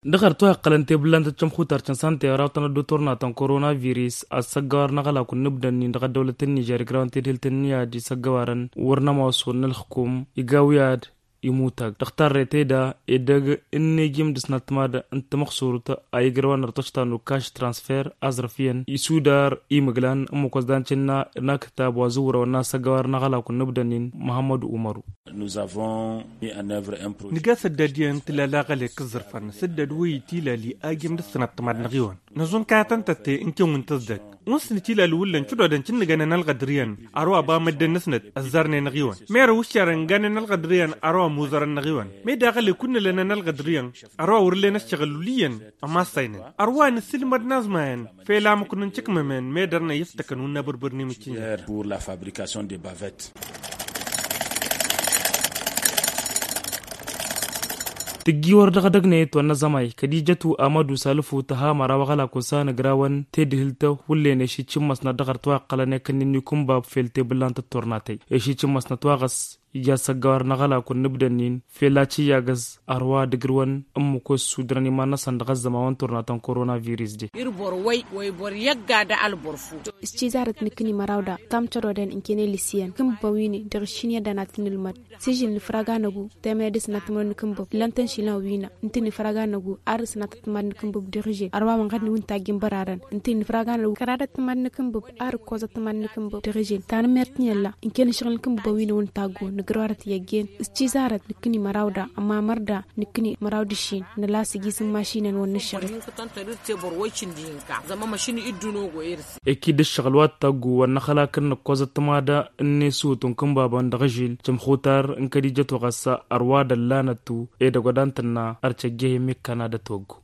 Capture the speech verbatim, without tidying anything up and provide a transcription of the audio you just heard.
Dăɣ-ar tuhaqqălăn tebǝllan tăccăm xutar cănsan tera tănăddu turna tăn-korona virus. Ad-săggăwar n-aɣălakun n-ibdănnin dăɣ-ăddăwlăt n-nižer igrăwăn tedhǝlt n-iyyad isăggăwarăn wăr n-ămoos wăr n-ălxǝkum iga wi ad-imutag dăɣ-tarrăy teda edăgg n-nejim d-ăsnătmad n-tamăxsurt a igrăwăn ărtăšta n-ukaš transfer aẓrăf iyyăn isudar imǝglan ǝmmǝk wăzdan cǝnna n-akǝtab wa zǝwrăwăn n-asăggăwar n-aɣălakun n-ibdănnin. Muhammăd umaru. Nǝga săddăd iyyăn tǝlal aɣălek ǝẓẓărfăn săddăd wi tilali ajim d-ăsnătmad n-aɣiwăn. Năẓun kayătăn tătte n-kăwăn tăzdăg. Wăn s-nǝtilal wǝllan cǝdodăn cǝnnǝgănăn ălɣădăr iyyăn. Ărwa ba măddăn n-asnăt ăzzarnen aɣiwăn merăw ǝššarăn ganen ălɣădăr iyyăn. Ărwa muzărăn n-aɣiwăn meda aɣălek wǝnnălănăn ălɣădăr iyyăn. Ărwa wăr len ăššăɣǝl wǝl' iyyăn. Ămassaynen ărwa nǝsǝlmăd n-aẓmayăn. Fel amǝknǝn cǝkmămen medăr n-ăyyǝftăkăn wǝnnă bărbăr n-imǝccǝnjăr. Tǝjji wăr dăɣ-edăgg n-e-t wa n-azămay kăd-ijătu amădu salǝfu tăha măraw aɣălak osa n-agrawăn tedhǝlt hullen eši cǝmmăsnăt dăɣ-ar twaqqălăn i-kănnin n-ikǝnbab fel tebǝllan tătturnatăy eši cǝmmăsnăt wa ɣas ija s-ăggawar n-aɣălak wa n-nǝbdănnin fel a cǝyyagăz. Ărwa dăgg-ǝrwăn ǝmmǝk ossu dăr-ăniman-năsăn dăɣ-ăzzăman wa n-turnatăn korona virus de. Iri bor wăy wăy bor i-ăgg-ad alborfu. S-cizarăt nǝkkǝni măraw da tam cărodăn ǝnkăne lǝsiyăn kǝnbăwine dăɣ-aššin i-ad-dănat n-ǝlmăd. Sižǝl nǝfrag anăgu temăya dăɣ-s nătmănăn n-kǝnbăb lăn tăn-išilan wi-nă ǝntǝn nǝfrag anăgu ar s-nătmănăn n-kǝnbăb dăɣ-ižel ărwa wăn ɣad n-wǝntajj n-bărarăn ǝntǝn nǝfrag anăgu kăradăt tămănăn n-kǝnbăb. Ar ǝkkoẓăt tămănăn n-kǝnbăb dăɣ-ižel tanămmert n-i ălla ǝnkăne ašăɣǝl n-kǝnbăb wi-năwăn taggo nǝgrăwărăt i-ăggen. S-cizarăt nǝkkǝni măraw da ămamăr da nǝkkǝni măraw d-aššin nǝla s-iji s-ǝmmašinăn wăn nǝššăɣǝl. Eki d-ǝššăɣǝl wa t-taggu wăr năxălak n-nǝkkoẓăt tămada n-nesut n-kǝnbabăn dăɣ-ažil cǝmxutar n-kăd-ijăt wa ɣas. Ărwa d-ăllanăt-tu edăgg wa d-antănna ărcăjjeh imikkan ad-ătwăggu.